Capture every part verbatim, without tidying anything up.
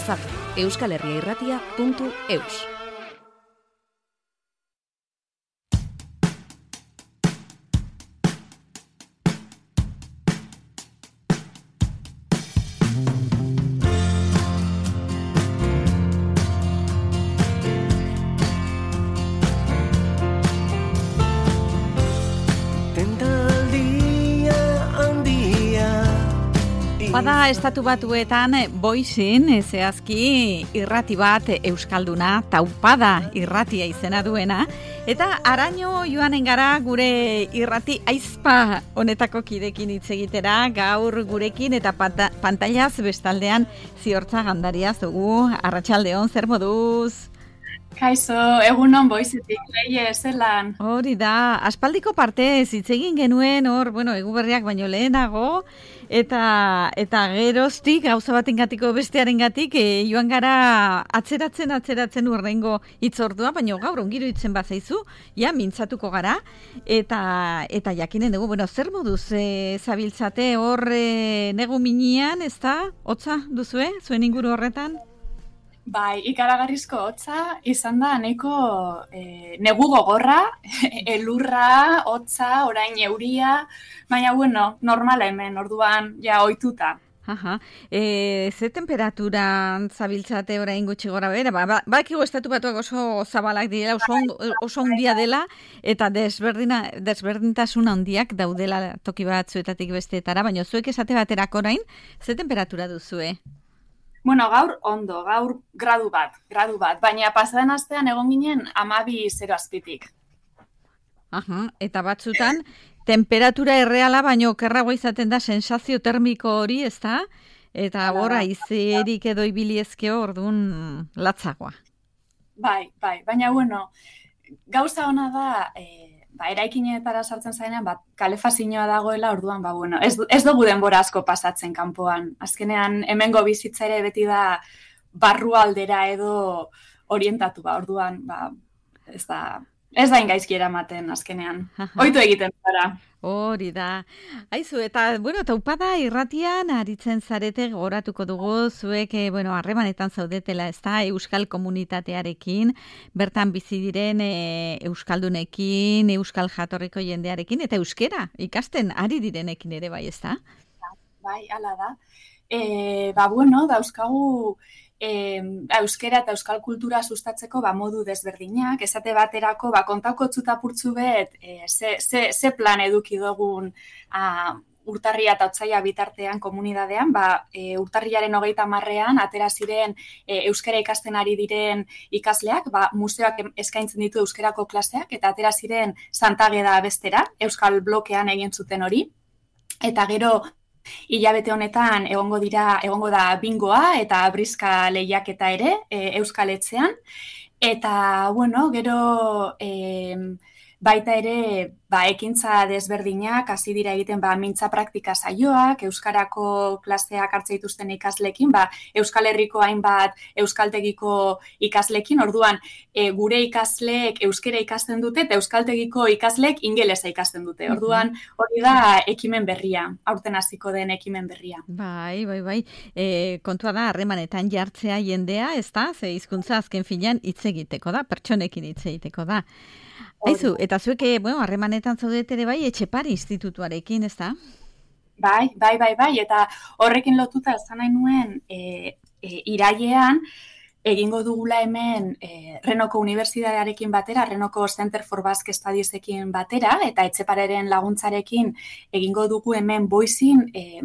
WhatsApp euskal herria irratia puntu eus. Bada estatu batuetan Boizin zehazki irrati bat euskalduna, Taupada irratia izena duena, eta araño joanen gara gure irrati aizpa honetako kidekin hitz egitera, gaur gurekin eta panta, pantailaz bestaldean Ziortza Gandariaz dugu. Arratsaldeon, zer moduz? Kaixo, egunon Boizetik, leie zelan. Hori da, aspaldiko partez hitz egin genuen hor, bueno, Eguberriak baino lehenago, eta eta geroztik gauza batengatiko bestearengatik e, joan gara atzeratzen atzeratzen urrengo hitzordua, baino gaur ongiro hitzen bazaizu, ja mintzatuko gara eta eta jakinen dugu, bueno, zer moduz e, zabiltzate hor e, negu minean, ezta? Hotza duzue zuen inguru horretan? Bai, ikaragarrizko hotza izan da nahiko e, negu gogorra, elurra, hotza, orain euria, baina bueno, normala hemen, orduan ja ohituta. Aha. E, ze temperaturan zabiltzate orain gutxi gora bera? Ba, ba, bakigu estatu batuak oso zabalak direla, oso, oso handia dela, eta desberdina, desberdintasun handiak daudela toki batzuetatik besteetara, baina zuek esate baterako orain, ze temperatura duzue? Bueno, gaur ondo, gaur gradu bat, gradu bat, baina pasaden astean egon ginen hamabi zero azpitik. Aha, eta batzutan, temperatura erreala, baino okerragoa izaten da sensazio termiko hori, ezta? Eta horra izerik edo ibiliezkeo orduan latzagoa. Bai, bai, baina bueno, gauza ona da, e, ba, eraikinetara sartzen zaenean, ba, kalefazioa dagoela, orduan, ba, bueno, ez, ez dugu denbora asko pasatzen kanpoan. Azkenean, hemengo bizitza ere beti da barrualdera edo orientatu, ba, orduan, ba, ez da, ez da ingaizki eramaten azkenean. Ohitu egiten gara. Hori da. Aizu, eta, bueno, Taupada irratian aritzen zarete goratuko dugu, zuek, eh, bueno, harremanetan zaudetela, ez da, euskal komunitatearekin, bertan bizi diren e, euskaldunekin, euskal jatorriko jendearekin, eta euskera ikasten ari direnekin ere bai, ez da? Bai, hala da. E, ba, bueno, dauzkagu E, euskera eta euskal kultura sustatzeko ba, modu desberdinak, esate baterako ba, kontauko txutapurtzu bet e, ze, ze, ze plan eduki dugun a, urtarria eta otsaila bitartean komunidadean, ba, e, urtarriaren hogeita hamarrean atera ziren e, euskera ikasten ari diren ikasleak, ba, museoak eskaintzen ditu euskerako klaseak, eta atera ziren Santageda bestera, euskal blokean egin zuten hori, eta gero hilabete honetan egongo dira egongo da bingoa eta briska lehiaketa ere e, Euskal Etxean, eta bueno, gero e, baita ere ba, ekintza desberdinak hasi dira egiten ba, mintza praktika saioak, euskarako klaseak hartze dituzten ikaslekin, ba, Euskal Herriko hainbat euskaltegiko ikaslekin, orduan e, gure ikasleek euskera ikasten dute eta euskaltegiko ikasleek ingelesa ikasten dute. Orduan hori da ekimen berria, aurten hasiko den ekimen berria. Bai, bai, bai. E, kontua da harremanetan jartzea jendea, ez da? Ze hizkuntza azken finean hitz egiteko da, pertsonekin hitz egiteko da. Aizu, eta zuek, bueno, harremanetan zaudete ere bai, Etxepare institutuarekin, ez da? Bai, bai, bai, bai, eta horrekin lotuta esan nahi nuen e, e, irailean, egingo dugula hemen e, Renoko Unibertsitatearekin batera, Renoko Center for Basque Studiesekin batera, eta Etxepareren laguntzarekin egingo dugu hemen Boizin e,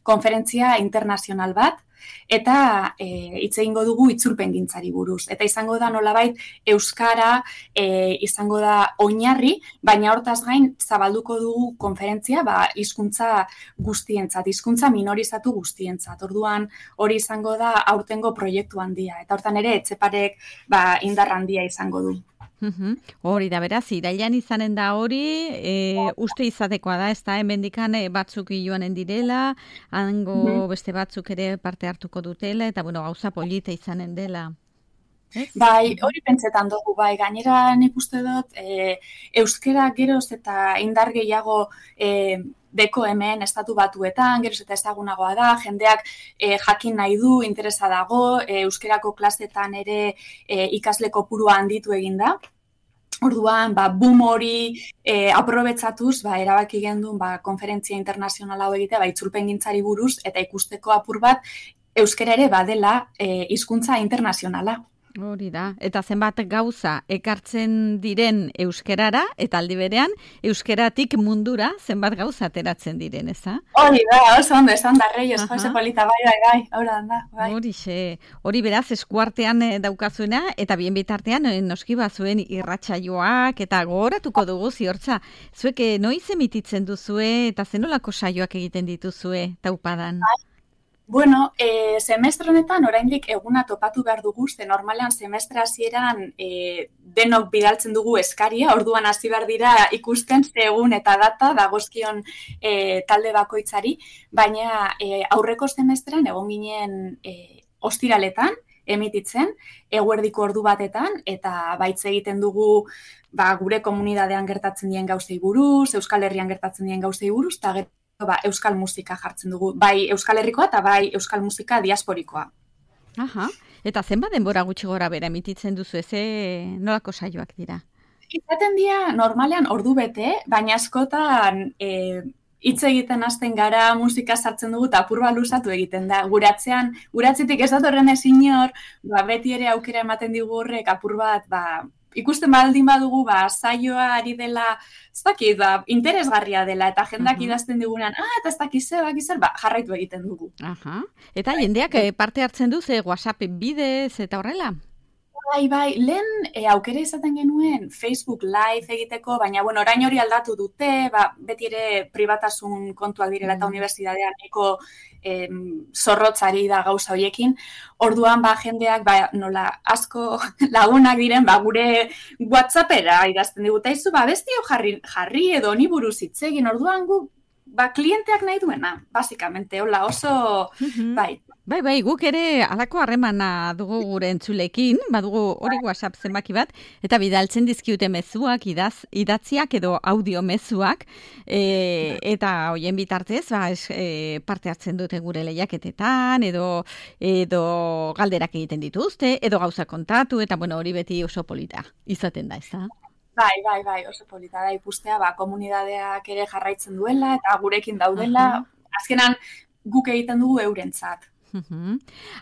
konferentzia internazional bat, eta e, hitz egingo dugu itzulpengintzari buruz. Eta izango da nolabait euskara e, izango da oinarri, baina hortaz gain zabalduko dugu konferentzia ba, hizkuntza guztientzat, hizkuntza minorizatu guztientzat. Orduan hori izango da aurtengo proiektu handia. Eta hortan ere Etxeparek ba, indar handia izango du. Uhum. Hori da, beraz, irailan izanen da hori, e, uste izatekoa da, ez da, hemendikan batzuk joanen direla, hango uhum. beste batzuk ere parte hartuko dutela, eta, bueno, gauza polita izanen dela. Ez? Bai, hori pentsetan dugu, bai, gainera nik uste dut, e, euskera geroz eta indar gehiago e, deko hemen estatu batuetan, geroz eta ezagunagoa da, jendeak e, jakin nahi du, interesa dago, e, euskerako klasetan ere e, ikasle kopurua handitu egin da. Orduan, ba, boom hori e, aprobetsatuz, ba, erabaki gendun ba, konferentzia internazionala hau egitea, ba, itzulpengintzari buruz, eta ikusteko apur bat, euskera ere badela e, hizkuntza internazionala. Hori da, eta zenbat gauza ekartzen diren euskerara, eta aldi berean, euskeratik mundura zenbat gauza ateratzen diren, eza? Hori da, oso ondo, esan da, Reyes, Jose Polita, bai, bai, bai, hori da, bai. Hori xe, hori beraz eskuartean daukazuena, eta bien bitartean noski bazuen irratsaioak, eta gogoratuko dugu ziortza, zuek noiz emititzen duzue, eta zenolako saioak egiten dituzue, taupadan? Bai. Bueno, e, semestre honetan oraindik eguna topatu behar dugu, ze normalean semestre hasieran e, denok bidaltzen dugu eskaria, orduan hasi behar dira ikusten ze egun eta data dagozkion e, talde bakoitzari, baina e, aurreko semestrean egon ginen e, ostiraletan emititzen, eguerdiko ordu batetan, eta baitz egiten dugu ba, gure komunidadean gertatzen dien gauzei buruz, Euskal Herrian gertatzen dien gauzei buruz, eta gero ba, euskal musika jartzen dugu, bai Euskal Herrikoa eta bai euskal musika diasporikoa. Aha, eta zenbat denbora gutxi gora bera emititzen duzu, ze nolako saioak dira? Izaten dira normalean ordu bete, baina askotan e, hitz egiten hasten gara, musika sartzen dugu eta apur bat luzatu egiten da. Guratzean, guratzetik ez datorren ezin hor, ba, beti ere aukera ematen digu horrek apur bat, ba, ikusten baldin badugu, ba, saioa ari dela, ez dakit, ba, interesgarria dela, eta jendak idazten digunean, ah, eta ez dakit zer, bakit zer, ba, jarraitu egiten dugu. Aha. Eta jendeak parte hartzen du, ze WhatsApp bidez eta horrela? Bai, bai, lehen e, aukera izaten genuen Facebook Live egiteko, baina, bueno, orain hori aldatu dute, ba, beti ere pribatasun kontuak direla eta unibertsitatean eko e, zorrotzari da gauza horiekin. Orduan, ba, jendeak, ba, nola, asko lagunak diren, ba, gure WhatsAppera idazten digute, izu, ba, bestio jarri, jarri edo ni buruz hitz egin, orduan gu, ba, klienteak nahi duena, basikamente, hola, oso, bai. Bai, bai, guk ere alako harremana dugu gure entzulekin, badugu hori WhatsApp zenbaki bat, eta bidaltzen dizkiute mezuak, idaz, idatziak edo audio mezuak, e, eta hoien bitartez, ba, es, e, parte hartzen dute gure lehiaketetan, edo, edo galderak egiten dituzte, edo gauza kontatu, eta bueno, hori beti oso polita izaten da, ez da? Bai, bai, bai, oso polita da ikustea, ba, komunidadeak ere jarraitzen duela, eta gurekin daudela, uh-huh. Azkenan guk egiten dugu eurentzat. Uhum.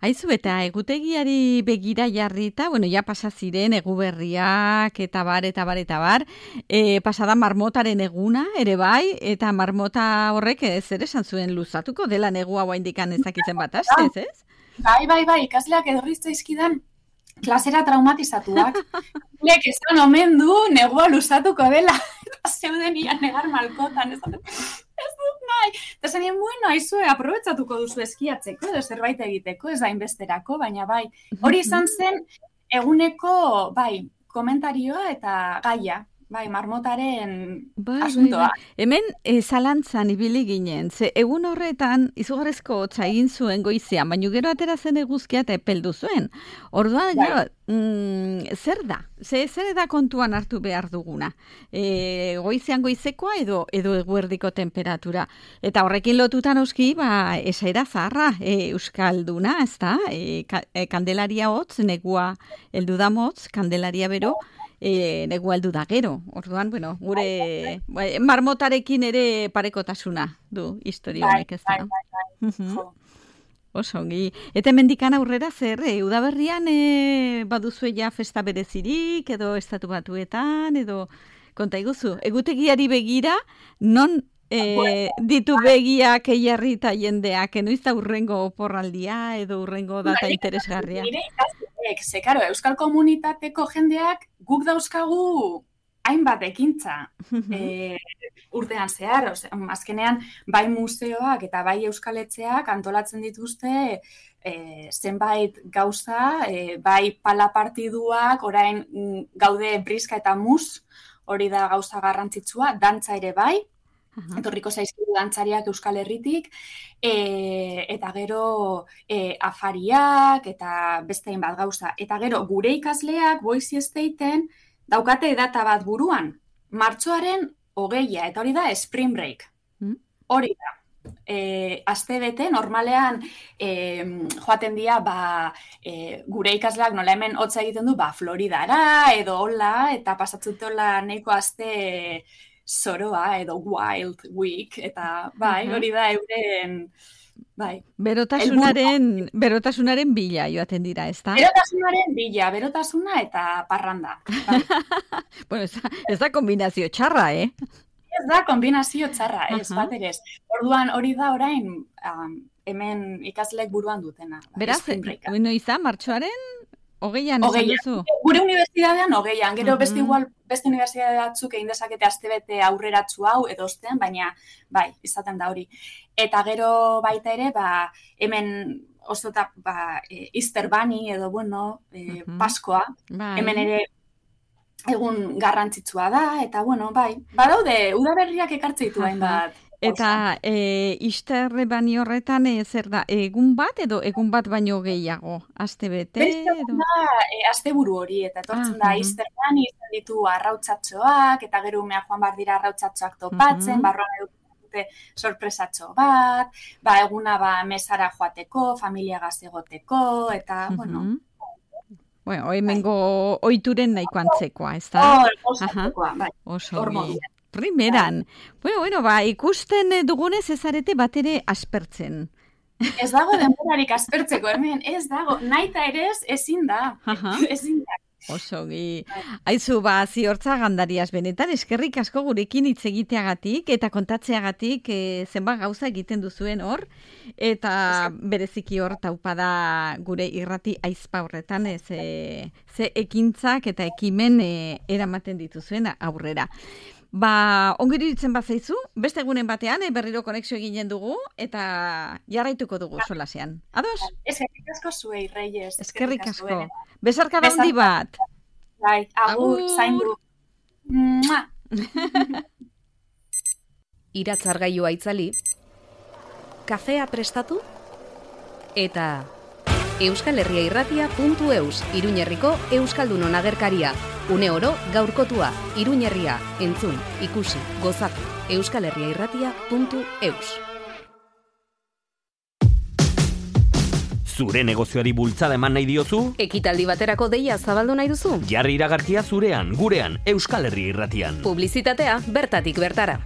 Aizu, eta egutegiari begira jarrita, bueno, ja pasa ziren eguberriak eta bar, eta bar, eta bar, e, pasada marmotaren eguna, ere bai, eta marmota horrek ez ere esan zuen luzatuko dela negua guaindikan ezakitzen bat astez, ez? Bai, bai, bai, ikasleak edorrizte izkidan klasera traumatizatuak. Lek esan omen du negua luzatuko dela, eta zeuden ian negar malkotan, ez ez dut nahi. Eta zenien, bueno, aizue, aprobetsatuko duzu eskiatzeko, edo zerbait egiteko, ez da inbesterako, baina bai. Hori izan zen, eguneko, bai, komentarioa eta gaia. Bai, marmotaren bai, asuntoa. Bai, bai. Hemen e, zalantzan ibili ginen, ze egun horretan izugarrezko hotza egin zuen goizean, baina gero atera zen eguzkia eta epeldu zuen. Orduan, bai. Gero, mm, zer da? Ze, zer da kontuan hartu behar duguna? E, goizean goizekoa edo edo eguerdiko temperatura. Eta horrekin lotutan oski, ba, esaera zaharra, e, euskalduna, ez da? E, ka, e, kandelaria hotz, negua heldu da motz, kandelaria bero, E, negu aldu da gero. Orduan, bueno, gure bai, marmotarekin ere parekotasuna du historia honek, ez da. Bai, bai, bai. Oso, ongi. Eta mendikan aurrera zer, e, udaberrian e, baduzue ja festa berezirik, edo estatu batuetan, edo konta iguzu. Egutegiari begira, non e, ditu begiak eiarri eta jendeak, enoiz da urrengo oporraldia, edo urrengo data interesgarria? Ze, karo, euskal komunitateko jendeak guk dauzkagu hainbat ekintza e, urtean zehar. Ose, azkenean, bai museoak eta bai euskaletxeak antolatzen dituzte e, zenbait gauza, e, bai pala partiduak, orain gaude briska eta mus, hori da gauza garrantzitsua, dantza ere bai, Uh-huh. Etorriko zaizkigu dantzariak Euskal Herritik, e, eta gero e, afariak, eta beste hainbat gauza. Eta gero gure ikasleak Boise Stateen daukate data bat buruan, martxoaren hogeia, eta hori da Spring Break. Uh-huh. Hori da. E, aste bete, normalean e, joaten dira ba, e, gure ikasleak nola hemen hotza egiten du ba, Floridara edo hola, eta pasatzutela neiko aste zoroa edo wild week, eta bai, hori da euren bai. Berotasunaren, berotasunaren bila joaten dira, ez da? Berotasunaren bila, berotasuna eta parranda. Bai. Bueno, ez da, ez da kombinazio txarra, eh? Ez da, kombinazio txarra, ez, uh-huh. bat ere ez. Orduan, hori da orain, um, hemen ikaslek buruan dutena. Beraz, bueno, izan, martxoaren, hogeian esan duzu? Gure unibertsitatean hogeian, gero uh-huh. beste igual, beste unibertsitate batzuk egin dezakete astebete aurreratsu hau edo ostean, baina, bai, izaten da hori. Eta gero baita ere, ba, hemen oso eta, ba, e, Easter Bunny edo, bueno, e, uh-huh. Paskoa, bai. Hemen ere, egun garrantzitsua da, eta bueno, bai, badaude, udaberriak ekartze ditu hainbat. Eta e, Easter Bunny horretan e, zer da, egun bat edo egun bat baino gehiago? Aste bete? Beste da, e, aste buru hori, eta etortzen ah, da Easter Bunny, izan ditu arrautzatxoak, eta gero umea joan bar dira arrautzatxoak topatzen, uh-huh. barroan edukute sorpresatxo bat, ba, eguna ba, mesara joateko, familiagaz egoteko, eta, uh-huh. bueno, Bueno, hemengo oituren nahiko antzekoa, ez da? Oh, oso antzekoa, bai. Oso primeran. Bueno, bueno, ba, ikusten dugunez ez arete bat ere aspertzen. Ez dago denborarik aspertzeko, hemen, ez dago, naita ere ez, ezin da. Ezin da. Oso gi. Aizu, ba, ziortza gandariaz benetan, eskerrik asko gurekin hitz egiteagatik eta kontatzeagatik e, zenbat gauza egiten duzuen hor, eta bereziki hor taupada gure irrati aizpa horretan, e, ze, ze ekintzak eta ekimen e, eramaten dituzuen aurrera. Ba, ongi iruditzen bat zaizu, beste egunen batean, e, berriro konexio eginen dugu, eta jarraituko dugu solasean. Ados? Eskerrik asko zuei, Reyes. Eskerrik asko. Besarka da handi bat. Bai, agur, zaindu. Iratzargailua itzali, kafea prestatu, eta euskal herria irratia puntu eus, Iruñerriko Euskaldunon agerkaria. Une oro gaurkotua, Iruñerria, entzun, ikusi, gozatu, euskal herria irratia puntu eus. Zure negozioari bultzada eman nahi diozu? Ekitaldi baterako deia zabaldu nahi duzu? Jarri iragarkia zurean, gurean, Euskal Herri Irratian. Publizitatea bertatik bertara.